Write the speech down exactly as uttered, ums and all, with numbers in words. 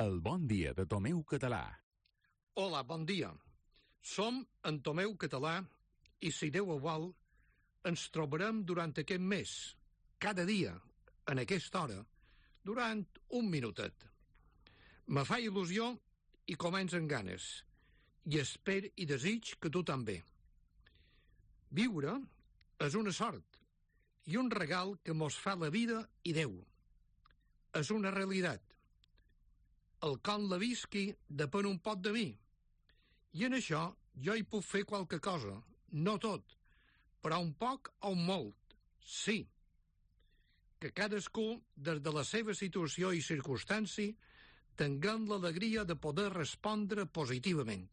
El bon dia de Tomeu Català. Hola, bon dia. Som en Tomeu Català i, si Déu ho vol, ens trobarem durant aquest mes, cada dia, en aquesta hora, durant un minutet. Me fa il·lusió i començo amb ganes, i espero i desig que tu també. Viure és una sort i un regal que mos fa la vida i Déu. És una realitat. El com la visqui depèn un poc de mi. I en això jo hi puc fer qualque cosa, no tot, però un poc o un molt, sí. Que cadascú, des de la seva situació i circumstància, tinguem l'alegria de poder respondre positivament.